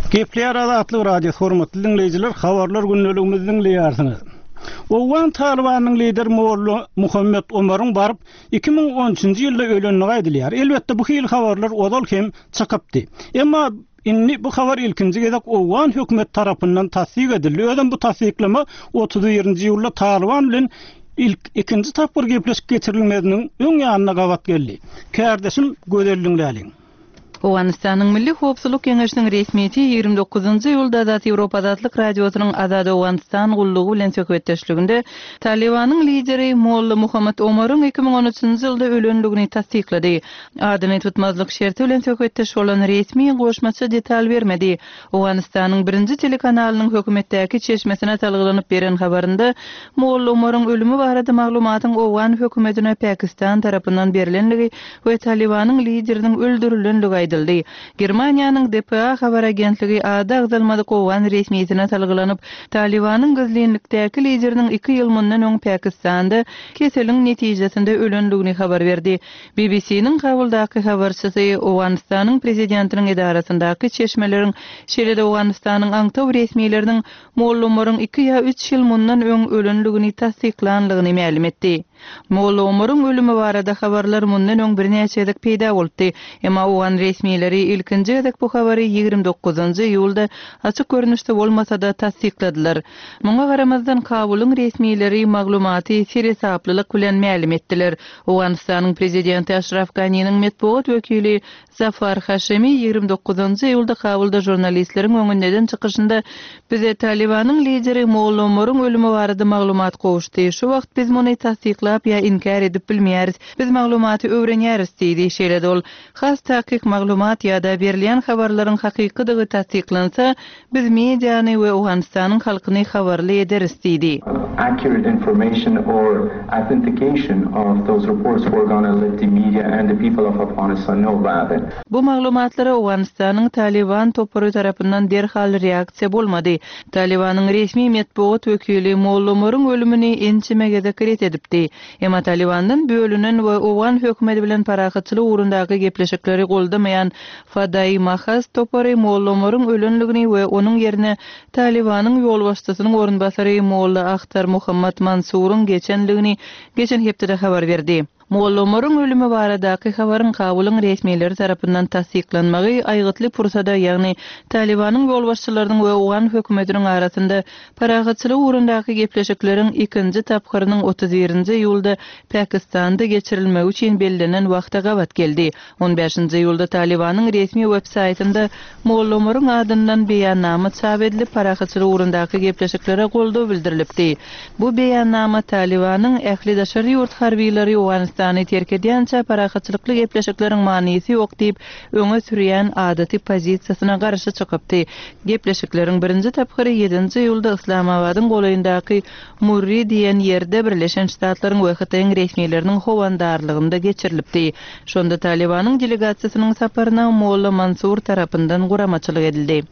Gepleýär Azatlyk Radiosy, hormatly diňleýjiler, habarlar gündeligimizi diňleýärsiňiz. Owgan Talybanynyň lideri Molla Muhammet Omaryň baryp 2013-nji ýylda ölendigi aýdylýar. Elbetde, bu hili habarlar ozal hem çykypdy. Emma indi bu habar ilkinji gezek owgan hökümeti tarapyndan tassyk edildi. Özem bu tassyklama 31-nji iýulda Talyban bilen ilk ikinji tapgyr gepleşik geçirilmeziniň öň ýanyna gabat geldi. Kärdeşim Gözel diňläliň. Owganystanyň Milli howpsuzlyk geňeşiniň resmisi 29-njy iýulda Azat Ýewropa Azatlyk Radiosynyň Azat Owganystan gullugy bilen söhbetdeşliginde Talybanyň lideri Molla Muhammad Omaryň 2013-nji ýylda ölendigini tassyklady. Adyny tutmazlyk şerti bilen söhbetdeş bolan resmi goşmaça detal bermedi. Owganystanyň birinji telekanalynyň hökümetdäki çeşmesine salgylanyp beren habarynda, Molla Omaryň ölümi barada maglumatyň owgan hökümetine Pakistan tarapyndan berlendigi we Talybanyň lideriniň öldürilenligi aýdyldy. Germaniýanyň dpa habar agentligi ady agzalmadyk owgan resmisine salgylanyp, Talybanyň gizlinlikdäki lideriniň iki ýyl mundan öň Pakistanda keseliň netijesinde ölendigini habar berdi. BBC-niň Kabuldaky habarçysy Owganystanyň prezidentiniň edarasyndaky çeşmeleriň, şeýle-de Owganystanyň aňtaw resmileriniň Molla Omaryň iki ýa üç ýyl mundan öň ölenligini tassyklanlygyny mälim etdi. Molla Omaryň ölümi barada habarlar mundan öň birnäçe gezek peýda bolupdy. Emma owgan resmileri ilkinji gezek bu habary 29-njy iýulda açyk görnüşde bolmasa-da tassykladylar. Muňa garamazdan, Kabulyň resmileri maglumaty seresaplylyk bilen mälim etdiler. Owganystanyň prezidenti Aşraf Ganiniň metbugat wekili Zafar Haşemi 29-njy iýulda Kabulda žurnalistleriň öňünde eden çykyşynda, Bize Talybanyň lideri Molla Omaryň ölümi barada maglumat gowuşdy. Şu wagt biz muny tassyklap ýa inkär edip bilmeýäris. Biz maglumaty öwrenýäris diýdi. Şeýle-de ol, Has takyk maglumat ýa-da berilýän habarlaryň hakykydygy tassyklansa, Biz mediany we Owganystanyň halkyny habarly ederis diýdi. Accurate information or authentication of those reports we're gonna let the media and the people of Afghanistan know about it. Bu maglumatlara Owganystanyň Talyban topary tarapyndan derhal reaksiýa bolmady. Talybanyň resmi metbugat wekili Molla Omaryň ölümini ençeme gezek ret edipdi. Emma Talybandan bölünen we owgan hökümeti bilen parahatçylyk ugrundaky gepleşikleri goldamaýan Fadaýy Mahaz topary Molla Omaryň ölenligini we onuň ýerine Talybanyň ýolbaşçysynyň orunbasary Molla Ahtar Mohammad Mansuryň geçenligini geçen hepdede habar berdi. Molla Omaryň ölümi baradaky habaryň Kabulyň resmileri tarapyndan tassyklanmagy aýgytly pursada, ýagny Talybanyň ýolbaşçylarynyň we owgan hökümetiniň arasynda parahatçylyk ugrundaky gepleşikleriň ikinji tapgyrynyň 31-nji iýulda Pakistanda geçirilmegi üçin bellenen wagta gabat geldi. On bäşinji iýulda Talybanyň resmi web-saýtynda Molla Omaryň adyndan beýannama çap edilip, parahatçylyk ugrundaky gepleşiklere goldaw bildirilipdi. Bu beýannama Talybanyň ähli daşary ýurt harbylary Owganystany terk edýänçä parahatçylykly gepleşikleriň manysy ýok diýip öňe sürýän adaty pozisiýasyna garşy çykypdy. Gepleşikleriň birinji tapgyry ýedinji iýulda Yslamabadyň golaýyndaky Murri diýen ýerde Birleşen Ştatlaryň we Hytaýyň resmileriniň howandarlygynda geçirilipdi. Şonda Talybanyň delegasiýasynyň saparyna Molla Mansur tarapyndan guramaçylyk edildi.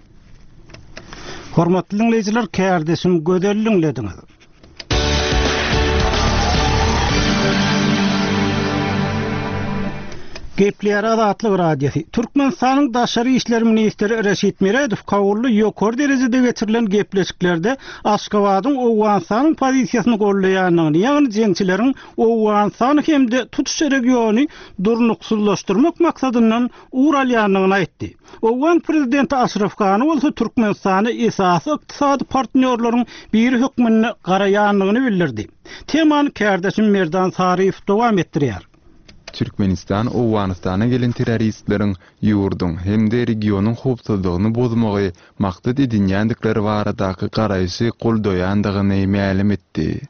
Hormatly diňleýjiler, kärdeşim Gözel diňlediňiz. Gepleýär Azatlyk Radiosy. Türkmenistanyň Daşary işler ministri Reşit Meredow Kabulda ýokary derejede geçirilen gepleşiklerde Aşgabadyň Owganystanyň pozisiýasyny goldaýandygyny, ýagny jeňçileriň Owganystany hem-de tutuş regiony durnuksyzlaşdyrmak maksadyndan ugur alýandygyny aýtdy. Owgan prezidenti Aşraf Gani bolsa Türkmenistana esasy ykdysady partnýorlaryň biri hökmünde garaýandygyny bildirdi. Temany kärdeşim Merdan Saryýew dowam etdirýär. Türkmenistan Owganystana gelen terroristleriň ýurduň hem-de regionyň howpsuzlygyny bozmagy maksat edinýändikleri baradaky garaýşy goldaýandygyny mälim etdi.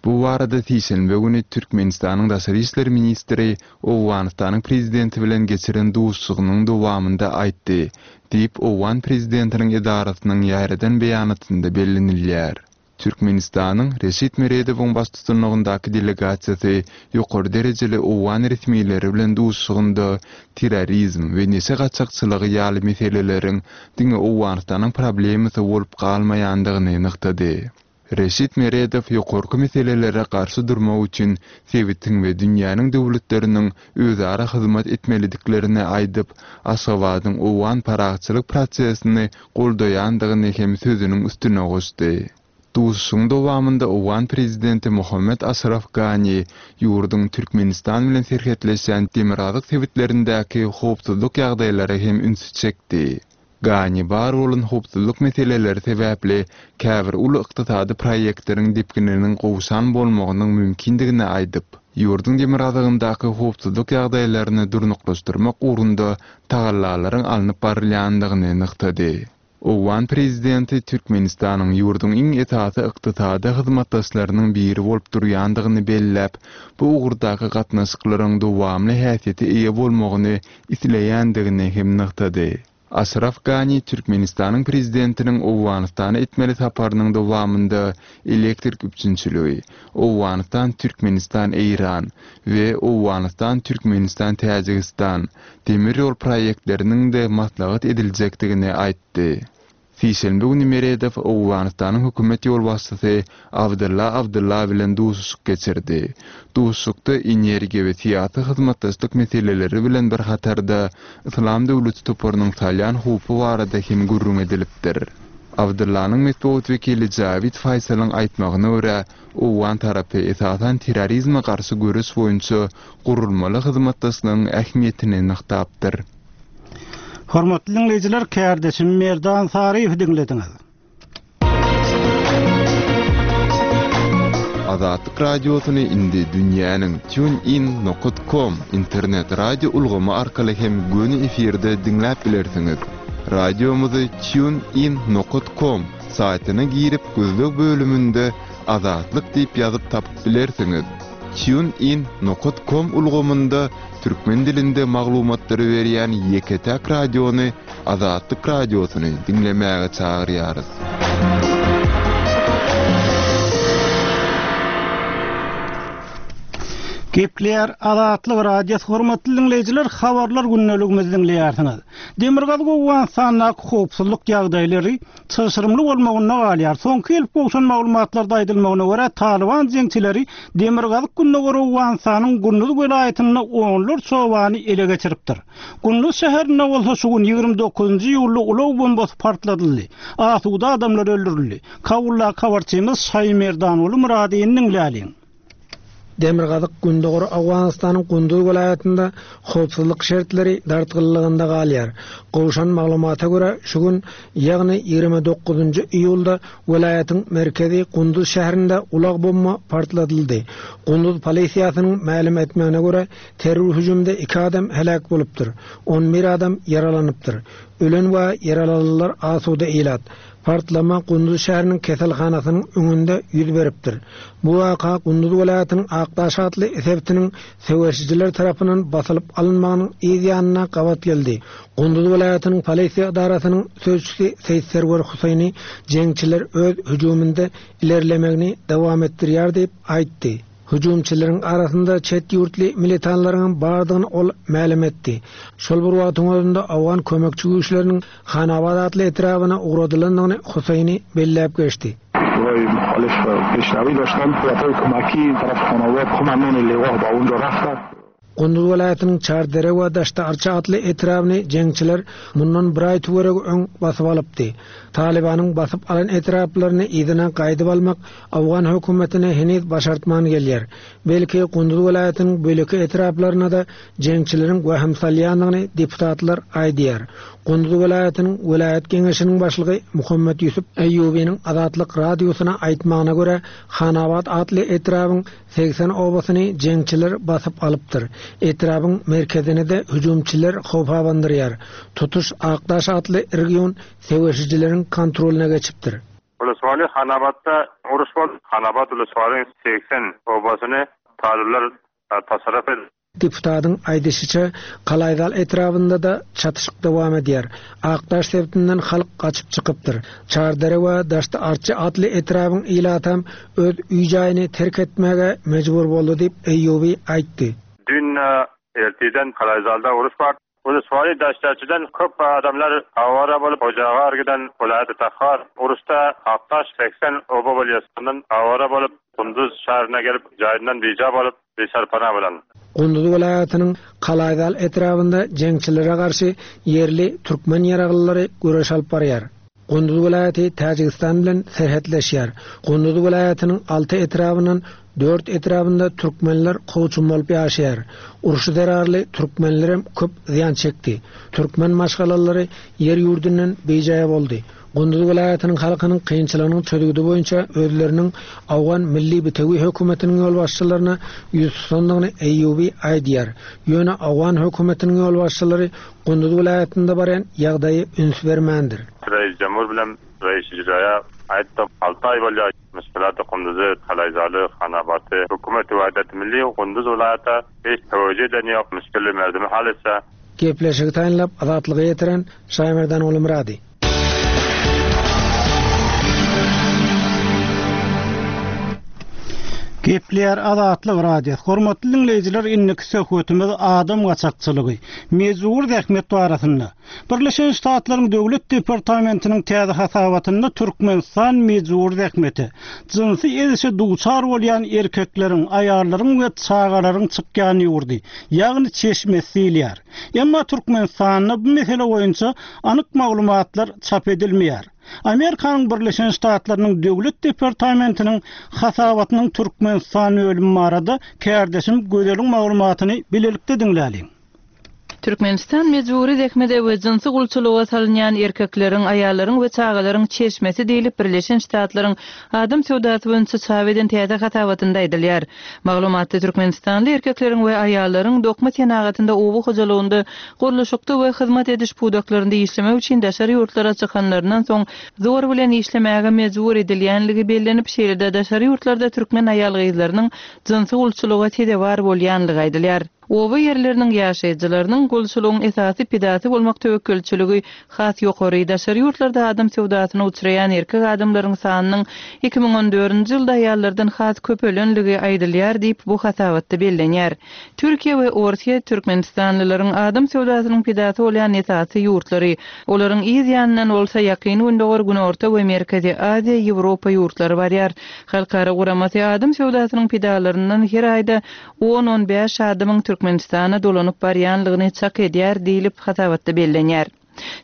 Bu barada sişenbe güni Türkmenistanyň daşary işler ministri Owganystanyň prezidenti bilen geçiren duşuşygynyň dowamynda aýtdy, diýip, owgan prezidentiniň edarasynyň ýaýradan beýanatynda bellenilýär. Türkmenistanyň Reşit Meredowyň baştutanlygyndaky delegasiýasy ýokary derejeli owgan resmileri bilen duşuşygynda terrorizm we neşe gaçakçylygy ýaly meseleleriň diňe Owganystanyň problemasy bolup galmaýandygyny nygtady. Reşit Meredow ýokarky meselelere garşy durmak üçin sebitiň we dünýäniň döwletleriniň özara hyzmat etmelidiklerini aýdyp, Aşgabadyň owgan parahatçylyk prosesini goldaýandygyny hem sözüniň üstüne goşdy. Duşuşygyň dowamynda owgan prezidenti Mohammed Aşraf Gani ýurduň Türkmenistan bilen serhetleşýän demirgazyk sebitlerindäki howpsuzlyk ýagdaýlara hem ünsi çekdi. Gani bar bolan howpsuzlyk meseleleri sebäpli käbir uly ykdysady proýektleriň depgininiň gowşan bolmagynyň mümkindigini aýdyp, ýurduň demirgazygyndaky howpsuzlyk ýagdaýlaryny durnuklaşdyrmak ugrunda tagallalaryň alnyp barylýandygyny nygtady. Owgan prezidenti Türkmenistanyň ýurduň iň esasy ykdysady hyzmatdaşlarynyň biri bolup durýandygyny belläp, bu ugurdaky gatnaşyklaryň dowamly häsiýete eýe bolmagyny isleýändigini hem nygtady. Aşraf Gani Türkmenistanyň Prezidentiniň Owganystana etmeli saparynyň dowamynda elektrik üpjünçiligi, Owganystan-Türkmenistan-Eýran we Owganystan-Türkmenistan-Täjigistan demir ýol proýektleriniň-de maslahat ediljekdigini aýtdy. Sişenbe güni Meredow Owganystanyň hökümet ýolbaşçysy Abdylla Abdylla bilen duşuşyk geçirdi. Duşuşykda energiýa we syýasy hyzmatdaşlyk meseleleri bilen bir hatarda Yslam döwleti toparynyň salýan howpy barada hem gürrüň edilipdir. Abdyllanyň metbugat wekili Jawid Faýsalyň aýtmagyna görä, owgan tarapy esasan terrorizme garşy göreş boýunça gurulmaly hyzmatdaşlygyň ähmiýetini nygtapdyr. Hormatly diňleýjiler, kärdeşim Merdan Saryýewi diňlediňiz. Azatlyk Radiosyny indi dünýäniň TuneIn nokat com internet radio ulgamy arkaly hem göni efirde diňläp bilersiňiz. Radiomyzy TuneIn nokat com saýtyna girip gözleg bölüminde Azatlyk diýip ýazyp tapyp bilersiňiz. TuneIn nokat com ulgamynda türkmen dilinde maglumatlary berýän ýeke-täk radiony Azatlyk Radiosyny diňlemäge çagyrýarys. Gepleýär Azatlyk Radiosy hormatly diňleýjiler habarlar gündeligimizi diňleýärsiňiz. Demirgazyk Owganystandaky howpsuzlyk ýagdaýlary çylşyrymly bolmagynda galýar. Soňky gelip gowşan maglumatlarda aýdylmagyna görä, Talyban jeňçileri demirgazyk-gündogar Owganystanyň Gunduz welaýatynda onlarça obany ele geçiripdir. Gunduz şäherinde bolsa şu gün, 29-njy iýulda ulag bombasy partladyldy. Asuda adamlar öldürildi. Kabuldaky habarçymyz Şaýymerdanguly Myradyny diňläliň. Demirgazyk-gündogar Owganystanyň Gunduz welaýatynda howpsuzlyk şertleri dartgynlygynda galýar. Gowşan maglumata görä, şu gün, ýagny 29-njy iýulda welaýatyň merkezi Gunduz şäherinde ulag bomba partladyldy. Gunduz polisiýasynyň mälim etmegine görä, terror hüjümde iki adam heläk bolupdyr, on bir adam ýaralanypdyr. Ölen we ýaralananlar asuda ilat. Partlama Gunduz şäheriniň keselhanasynyň öňünde ýüz beripdir. Bu waka Gunduz welaýatynyň Akdaş atly sebitiniň söweşijiler tarapyndan basylyp alynmagynyň yz ýanyna gabat geldi. Gunduz welaýatynyň polisiýa edarasynyň sözçüsi Seýit Serwer Huseýni jeňçiler öz hüjüminde ilerlemegini dowam etdirýär diýip aýtdy. Hüjümçileriň arasynda çet ýurtly militanlaryňam bardygyny ol mälim etdi. Şol bir wagtyň özünde owgan kömekçi güýçleriniň Hanabad atly etrabyna ugradylandygyny Huseýni belläp geçdi. Gunduz welaýatynyň Çardere we Daşda-Arça atly etrabyny jeňçiler mundan bir aý töweregi öň basyp alypdy. Talybanyň basyp alan etraplaryny yzyna gaýdyp almak owgan hökümetine heniz başartman gelýär. Belki, Gunduz welaýatynyň beýleki etraplaryna-da jeňçileriň wehim salýandygyny deputatlar aýdýar. Gunduz welaýatynyň welaýat geňeşiniň başlygy Muhammet Ýusup Eýýubynyň Azatlyk Radiosyna aýtmagyna görä, Hanabat atly etrabyň 80 obasyny jeňçiler basyp alypdyr. Etrabyň merkezini-de hüjümçiler howp abandyrýar. Tutuş Akdaş atly region söweşijileriň kontrolyna geçipdir. Uluswaly Hanabatda uruş boldy. Hanabat Uluswalyň 80 obasyny talyplar tasarruf edip. Deputatyň aýdyşyça, Kalaýzal etrabynda-da çatyşyk dowam edýär. Akdaş sebitinden halk gaçyp çykypdyr. Çardere we Daşty-Arçy atly etrabyň ilatam öz öý-jaýyny terk etmäge mejbur boldy diýip, Eýýubi aýtdy. Düýn ertirden Kalaýzalda uruş bar. Uluswali Daşterçiden köp adamlar awara bolup Hojagar giden welaýaty Tahar uruşda Akdaş 80 oba bolýar. Ondan awara bolup Gunduz şäherine gelip jaýyndan bija bolup bisarpana bolan. Gunduz welaýatynyň Kalaýzal etrabynda jeňçilere garşy ýerli türkmen ýaraglylary göreş alyp barýar. Gunduz welaýaty Täjigistan bilen serhetleşýär. Gunduz welaýatynyň alty etrabyndan dört etrabynda türkmenler kowçum bolup ýaşaýar. Uruş zerarly türkmenlerem köp zyýan çekdi. Türkmen maşgalalary ýer-ýurdundan bijaý boldy. Gunduz welaýatynyň halkynyň kynçylygynyň çözgüdi boýunça özleriniň Owgan Milli bitewi hökümetiniň ýolbaşçylaryna ýüz tutandygyny Eýýubi aýdýar. Ýöne owgan hökümetiniň ýolbaşçylary Gunduz welaýatynda barýan ýagdaýa üns bermändir. Reis Jemhur bilen Reis Icraýa aýtdym, alty aý bolýar, müşkilaty Kunduzy, Kalaýzaly, Hanabaty, hökümeti Wahdat Milli Gunduz welaýata hiç töwejü eden ýok, müşkili merdimi hal etse. Gepleşigi taýynlap Azatlyga ýetiren Şaýmerdan Gulumyrady. Gepleýär Azatlyk Radiosy. Hormatly diňleýjiler, indiki söhbetimiz adam gaçakçylygy, mejbury zähmet barasynda. Birleşen Ştatlaryň Döwlet departamentiniň täze hasabatynda Türkmenistan mejbury zähmete, jynsy ezişe duçar bolýan erkekleriň, aýallaryň we çagalaryň çykýan ýurdy, ýagny çeşmesi diýilýär. Emma Türkmenistanda bu mesele boýunça anyk maglumatlar çap edilmeýär. Amerikanyň Birleşen Ştatlarynyň Döwlet departamentiniň hasabatynyň Türkmenistan bölümi barada kärdeşim Gözeliň maglumatyny bilelikde diňläliň. Türkmenistan mejbury zähmete we jynsy gulçulyga salynýan erkekleriň, aýallaryň we çagalaryň çeşmesi diýlip Birleşen Ştatlaryň adam söwdasy boýunça çap eden täze hasabatynda aýdylýar. Maglumatda türkmenistanly erkekleriň we aýallaryň dokma senagatynda, oba hojalygynda, gurluşykda we hyzmat ediş pudaklarynda işlemek üçin daşary ýurtlara çykanlaryndan soň zor bilen işlemäge mejbur edilýänligi bellenip, şeýle-de daşary ýurtlarda türkmen aýal-gyzlarynyň jynsy gulçulyga sezewar bolýanlygy aýdylýar. Oba ýerleriniň ýaşaýjylarynyň gulçulygyň esasy pidasy bolmak töwekgelçiligi has ýokary. Daşary ýurtlarda adam söwdasyna uçraýan erkek adamlaryň sanynyň 2014-nji ýylda aýallardan has köpelenligi aýdylýar diýip, bu hasabatda bellenýär. Türkiýe we Orsýet türkmenistanlylaryň adam söwdasynyň pidasy bolýan esasy ýurtlary. Olaryň yz ýanyndan bolsa Ýakyn Gündogar, Günorta we Merkezi Aziýa, Ýewropa ýurtlary barýar. Halkara guramasy adam söwdasynyň pidalaryndan her aýda On-on bäş adamyň Türkmenistana dolanyp barýanlygyny çak edýär diýlip, hasabatda bellenýär.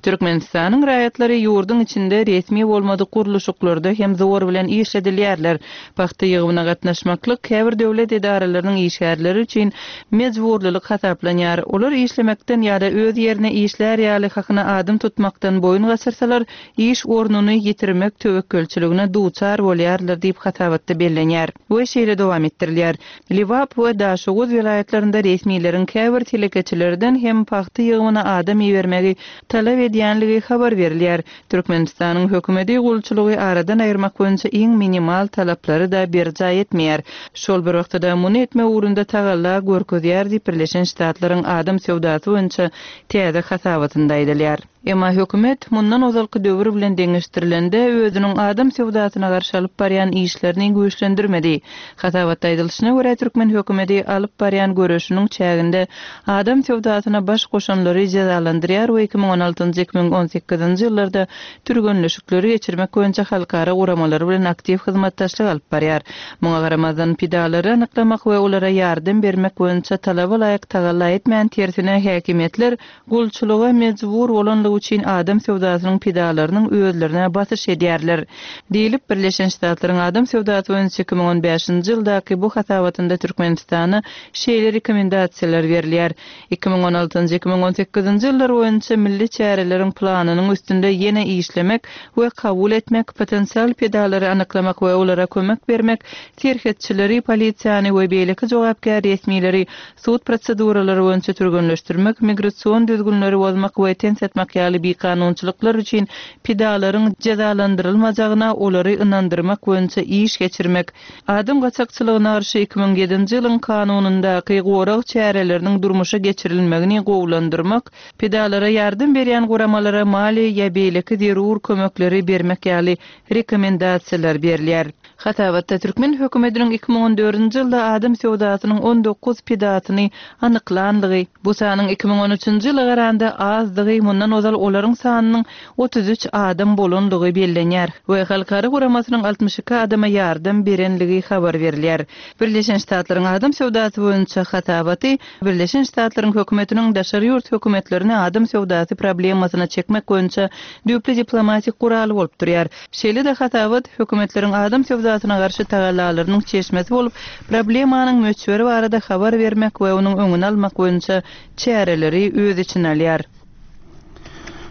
Türkmenistanyň raýatlary ýurduň içinde resmi bolmadyk gurluşyklarda hem zor bilen işledilýärler. Pagta ýygymyna gatnaşmaklyk käbir döwlet edaralarynyň işgärleri üçin mejburlylyk hasaplanýar. Olar işlemekden ýa-da öz ýerine işlär ýaly hakyna adam tutmakdan boýun gaçyrsalar, iş ornuny ýitirmek töwekgelçiligine duçar bolýarlar diýip, hasabatda bellenýär we şeýle dowam etdirilýär, Lebap we Daşoguz welaýatlarynda resmileriň käbir telekeçilerden hem pagta ýygymyna adam ibermegi talap edýänligi habar berilýär. Türkmenistanyň hökümeti gulçulygy aradan aýyrmak boýunça iň minimal talaplary-da berjaý etmeýär. Şol bir wagtda-da muny etmek ugrunda tagalla görkezýär diýip, Birleşen Ştatlaryň adam söwdasy boýunça täze hasabatynda aýdylýar. Emma hökümet, mundan ozalky döwür bilen deňeşdirilende, özüniň adam söwdasyna garşy alyp barýan işlerini güýçlendirmedi. Hasabatda aýdylyşyna görä, türkmen hökümeti alyp barýan göreşiniň çäginde adam söwdasyna baş goşanlary jezalandyrýar we 2016-njy, 2018-nji ýyllarda türgenleşikleri geçirmek boýunça halkara guramalary bilen aktiw hyzmatdaşlyk alyp barýar. Muňa garamazdan, pidalary anyklamak we olara ýardam bermek boýunça talaba laýyk tagalla etmän, tersine, häkimiýetler Gulçulyga mejbur bolanlygy üçin adam söwdasynyň pidalarynyň özlerine basyş edýärler. Diýlip, Birleşen Ştatlaryň adam söwdasy boýunça 2015-nji ýyldaky bu hasabatynda Türkmenistana şeýle rekomendasiýalar berilýär, 2016-njy, 2018-nji ýyllar boýunça milli çäreleriň planynyň üstünde ýene işlemek we kabul etmek, potensial pidalary anyklamak we olara kömek bermek, serhetçileri, polisiýany we beýleki jogapkär resmileri Sud proseduralary boýunça türgenleşdirmek, migrasion düzgünleri bozmak we ten satmak ýaly bikanunçylyklar üçin pidalaryň jezalandyrylmajagyna olary ynandyrmak boýunça iş geçirmek, adam gaçakçylygyna garşy 2007-nji ýylyň kanunyndaky gorag çäreleriniň durmuşa geçirilmegini gowulandyrmak, pidalara ýardam berýän guramalara maliýe ýa beýleki zerur kömekleri bermek ýaly rekomendasiýalar berilýär. Hasabatda türkmen hökümetiniň 2014-nji ýylda adam söwdasynyň 19 pidasyny anyklandygy, bu sanyň 2013-nji ýyla garanda azdygy, mundan ozal olaryň sanynyň 33 adam bolandygy bellenýär we halkara guramasynyň 62 adama ýardam berenligi habar berilýär. Birleşen Ştatlaryň adam söwdasy boýunça hasabaty Birleşen Ştatlaryň hökümetiniň daşary ýurt hökümetlerini adam söwdasy problemasyna çekmek boýunça düýpli diplomatik guraly bolup durýar. Şeýle-de hasabat, hökümetleriň adam söwdasyna garşy tagallalarynyň çeşmesi bolup, problemanyň möçberi barada habar bermek we onuň öňüni almak boýunça çäreleri öz içine alýar.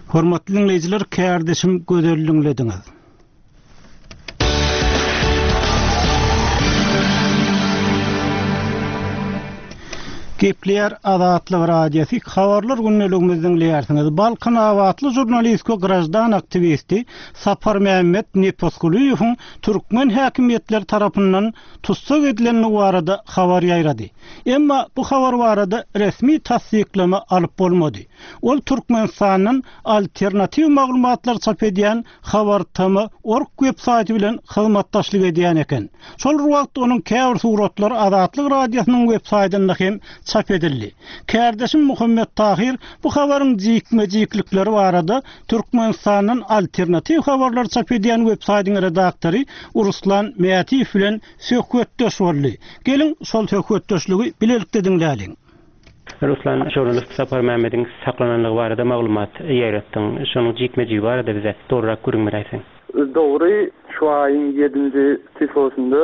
Hormatly diňleýjiler kärdeşim Gözel diňlediňiz. Gepleýär Azatlyk Radiosy, Habarlar gündeligimizi diňleýärsiňiz. Balkanabatly žurnalist we graždan aktiwisti Saparmämmet Nepesgulyýewiň türkmen häkimiýetleri tarapyndan tussag edilendigi barada habar ýaýrady. Emma bu habar barada resmi tassyklama alyp bolmady. Ol Türkmenistandan alternatiw maglumatlary çap edýän Habartama. Org web saýty bilen hyzmatdaşlyk edýän eken. Şol bir wagtda onuň käbir suratlary Azatlyk Radiosynyň web saýtynda hem çap edildi. Kärdeşim Muhammet Tahyr bu habaryň jikme-jiklikleri barada Türkmenistandan alternatiw habarlary çap edýän web saýtyň redaktory Ruslan Mätiýew bilen söhbetdeş boldy. Geliň, şol söhbetdeşligi bilelikde diňläliň. Ruslan, žurnalist Saparmämmediň saklananlygy barada maglumat ýaýratdyň. Şonuň jikme-jigi barada bize dolurak gürrüň beräýseň. Dogry, şu aýyň ýedinji çislosynda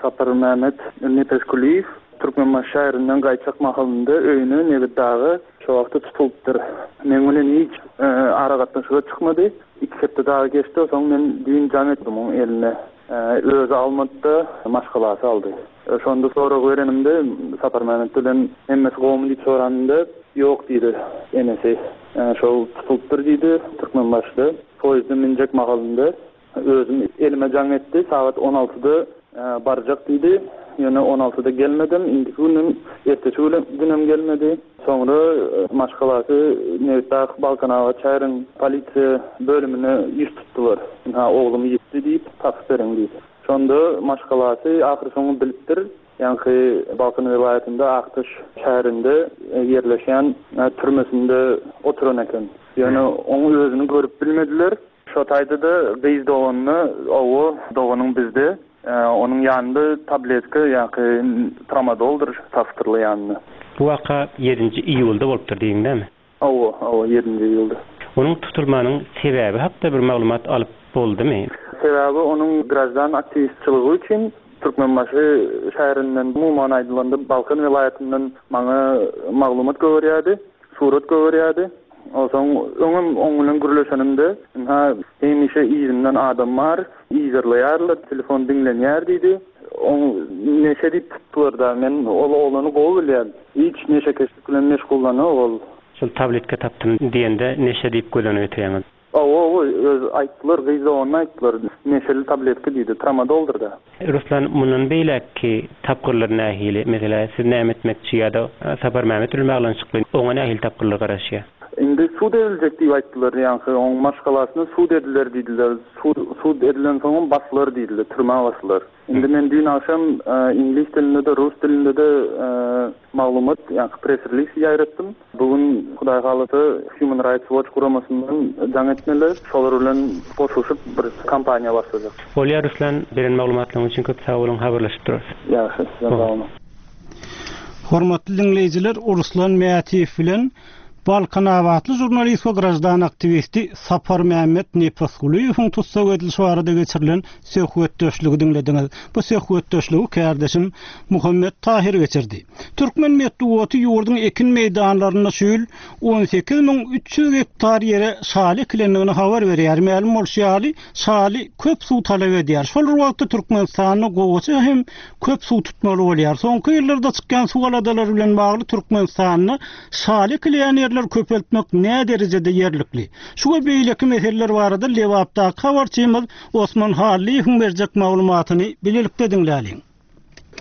Saparmämmet Nepesgulyýew Türkmenbaşy şäherinden gaýtjak mahalynda öýüne, Nebitdaga şo wagtda tutulypdyr. Meň bilen hiç aragatnaşyga çykmady. Iki hepde dagy geçdi, soň men düýn jaň etdim oň eline. Özi almady-da, maşgalasy aldy. Şonda sorag berenimde, Saparmämmet bilen hemmesi gowumy diýip soranymda, ýok diýdi enesi. Şol tutulypdyr diýdi, Türkmenbaşyda poýezde münjek mahalynda özüm elime jaň etdi, sagat on altyda barjak diýdi. Ýöne on altyda gelmedem, indiki günem, ertesi günem gelmedi. Soňra maşgalasy Nebitdag Balkanabat şäheriň polisiýa bölümine ýüz tutdular. Ynha, oglum ýitdi diýip, tapyp beriň diýip. Şonda maşgalasy ahyrsoňy bilipdir, ýaňky Balkan welaýatynda Akdaş şäherinde ýerleşýän türmesinde oturan eken. Ýöne oň özüni görüp bilmediler. Şo taýda-da gyz doganyna, Owo, doganyň bizde. Onuň ýanynda tabletka, ýaňky tramadoldyr tapypdyrlar ýanynda. Bu waka ýedinji iýulda bolupdyr diýdiň dämi? Hawa, hawa, ýedinji iýulda. Onuň tutulmagynyň sebäbi hakda bir maglumat alyp boldumy? Sebäbi onuň graždan aktiwistçiligi üçin Türkmenbaşy şäherinden, umuman aýdylanda Balkan welaýatyndan maňa maglumat goberýärdi, surat goberýärdi. Onsoň öňem oň bilen gürleşenimde, ynha, hemişe yzymdan adam bar, yzarlaýarlar, telefon diňlenýär diýdi. Oň neşe diýip tutdular-da. Men ol oglany gowy bilýän. Hiç neşekeşlik bilen meşgullanok ol. Şol tabletka tapdym diýende neşe diýip göz öňüne getirýäňiz. Hawa, hawa, özi aýtdylar, gyz doganyna aýtdylar. Neşeli tabletka diýdi, tramadoldyr-da. Ruslan, mundan beýläkki tapgyrlar nähili? Meselä, siz näme etmekçi ýa-da Saparmämmet bilen baglanyşykly oňa nähili tapgyrlar garaşýar? Indi sud ediljek diýip aýtdylar, ýaňky oň maşgalasyna sud ediler diýdiler. Sud edilensoňam basylar diýdiler, türmä basylar. Indi men düýn agşam iňlis dilinde-de, rus dilinde-de maglumat, ýaňky press-release ýaýratdym. Bu gün, Hudaý halasa, Human Rights Watch guramasyndan jaň etmeli. Şolar bilen goşulyşyp bir kampaniýa başlajak. Bolýar Ruslan, beren maglumatlaryňyz üçin köp sag boluň, habarlaşyp durarys. Ýagşy, sizem sag boluň. Hormatly diňleýjiler, Ruslan Mätiýew bilen Balkanabatly žurnalist we graždan aktiwisti Saparmämmet Nepesgulyýewiň tussag edilişi barada geçirilen söhbetdeşligi diňlediňiz. Bu söhbetdeşligi kärdeşim Muhammet Tahyr geçirdi. Türkmen metbugaty ýurduň ekin meýdanlarynda şu ýyl 18300 gektar ýere şaly ekilendigini habar berýär. Mälim bolşy ýaly, şaly köp suw talap edýär. Şol bir wagtda Türkmenistanda gowaça hem köp suw tutmaly bolýar. Soňky ýyllarda çykýan suw aladalary bilen bagly Türkmenistanda şaly ekilýän ýerleri köpeltmek näderejede ýerlikli? Şu we beýleki meseleler barada Lebapdaky habarçymyz Osman Hallyýewiň berjek maglumatyny bilelikde diňläliň.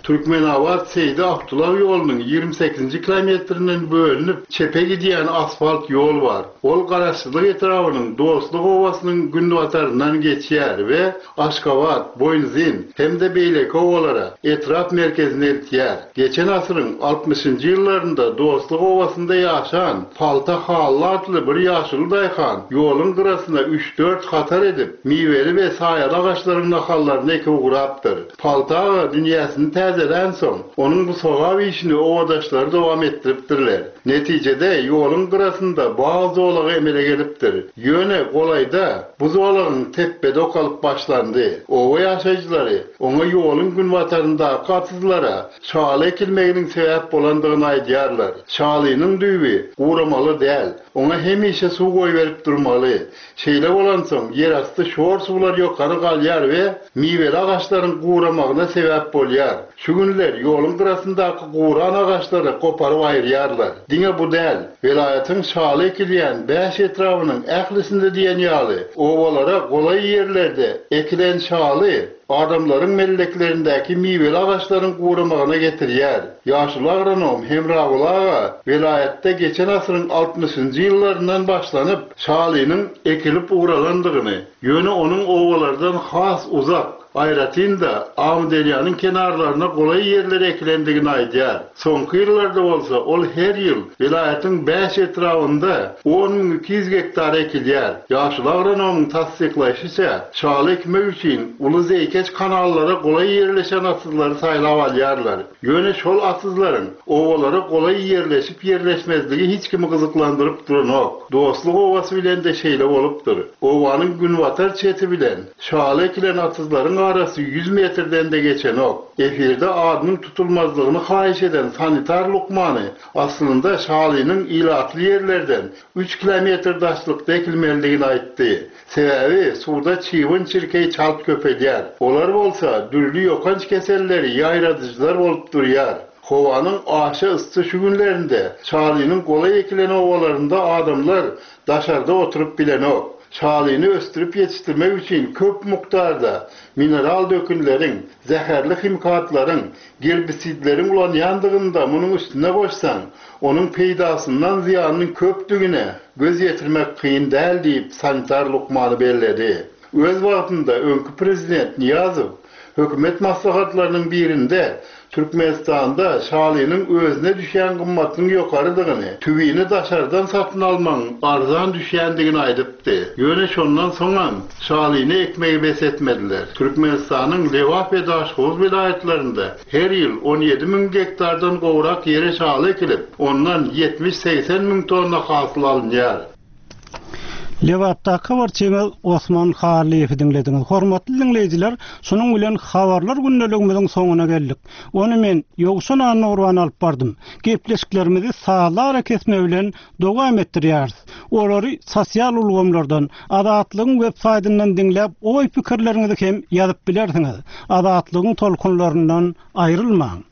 Türkmenabat Seýdi Abdylaw ýolunyň 28-nji kilometrinden bölünip, çepe gidýän asfalt ýol bar. Ol Garaşsyzlyk etrabynyň Dostluk obasynyň günbataryndan geçýär we Aşgabat, Boýunzyn hem-de beýleki obalara, etrap merkezine eltýär. Geçen asyryň altmyşynjy ýyllarynda Dostluk obasynda ýaşan Palta Hally atly bir ýaşuly daýhan ýoluň gyrasyna üç-dört hatar edip, miweli we saýaly agaçlaryň nahallaryny ekip ugrapdyr. Palta aga dünýäsini täzelänsoň, onuň bu sogap işini obadaşlary dowam etdiripdirler. Netijede, ýoluň gyrasynda bag zolagy emele gelipdir. Ýöne golaýda bu zolagyň tepbedi okalyp başlandy. Oba ýaşaýjylary oňa ýoluň günbataryndaky atyzlara şaly ekilmeginiň sebäp bolandygyny aýdýarlar. Şalynyň düýbi guramaly däl, oňa hemişe suw goýberip durmaly. Şeýle bolansoň, ýerasty şor suwlar ýokary galýar we miweli agaçlaryň guramagyna sebäp bolýar. Şu günler ýoluň gyrasyndaky guran agaçlary goparyp aýyrýarlar. Diňe bu däl, welaýatyň şaly ekilýän bäş etrabynyň ählisinde diýen ýaly obalara golaý ýerlerde ekilen şaly adamlaryň melleklerindäki miweli agaçlaryň guramagyna getirýär. Ýaşuly agronom Hemraguly aga welaýatda geçen asyryň altmyşynjy ýyllaryndan başlanyp şalynyň ekilip ugralandygyny, ýöne onuň obalardan has uzak, aýratyn-da, Amyderýanyň kenarlaryna golaý ýerlere ekilendigini aýdýar. Soňky ýyllarda bolsa ol her ýyl welaýatyň bäş etrabynda 10 200 gektar ekilýär. Ýaşuly agronomyň tassyklaýşyça, şaly ekmek üçin uly zeýkeş kanallara golaý ýerleşen atyzlary saýlap alýarlar. Ýöne şol atyzlaryň obalara golaý ýerleşip-ýerleşmezligi hiç kimi gyzyklandyryp duranok. Dostluk obasy bilen-de şeýle bolupdyr. Obanyň günbatar çeti bilen şaly ekilen atyzlaryň arasy ýüz metrden-de geçenok. Efirde adynyň tutulmazlygyny haýyş eden sanitar lukmany aslynda şalynyň ilatly ýerlerden üç kilometr daşlykda ekilmelidigini aýtdy. Sebäbi suwda çybyn-çirkeý çalt köpelýär. Olar bolsa dürli ýokanç keselleri ýaýradyjylar bolup durýar. Howanyň aşa yssy şu günlerinde şalynyň golaý ekilen obalarynda adamlar daşarda oturyp bilenok. Şalyny ösdürip ýetişdirmek üçin köp mukdarda mineral dökünleriň, zäherli himikatlaryň, gerbisidleriň ulanýandygyny-da munuň üstüne goşsaň, onuň peýdasyndan zyýanynyň köpdügine göz ýetirmek kyn däl diýip, sanitar lukmany belledi. Öz wagtynda öňki prezident Nyýazow hökümet maslahatlarynyň birinde Türkmenistanda şalynyň özüne düşýän gymmatynyň ýokarydygyny, tüwini daşardan satyn almagyň arzan düşýändigini aýdypdy. Ýöne şondan soňam şalyny ekmegi bes etmediler. Türkmenistanyň Lebap we Daşhowuz welaýatlarynda her ýyl 17 müň gektardan gowrak ýere şaly ekilip, ondan 70-80 müň tonna hasyl alynýar. Lebapdaky habarçymyz Osman Hallyýewi diňlediňiz. Hormatly diňleýjiler, şunuň bilen habarlar gündeligimiziň soňuna geldik. Ony men, Ýowşan Annagurban alyp bardym. Gepleşiklerimizi sazly arakesme bilen dowam etdirýäris. Olary sosial ulgamlardan, Azatlygyň web saýtyndan diňläp oý-pikirleriňizi hem ýazyp bilersiňiz. Azatlygyň tolkunlaryndan aýrylmaň!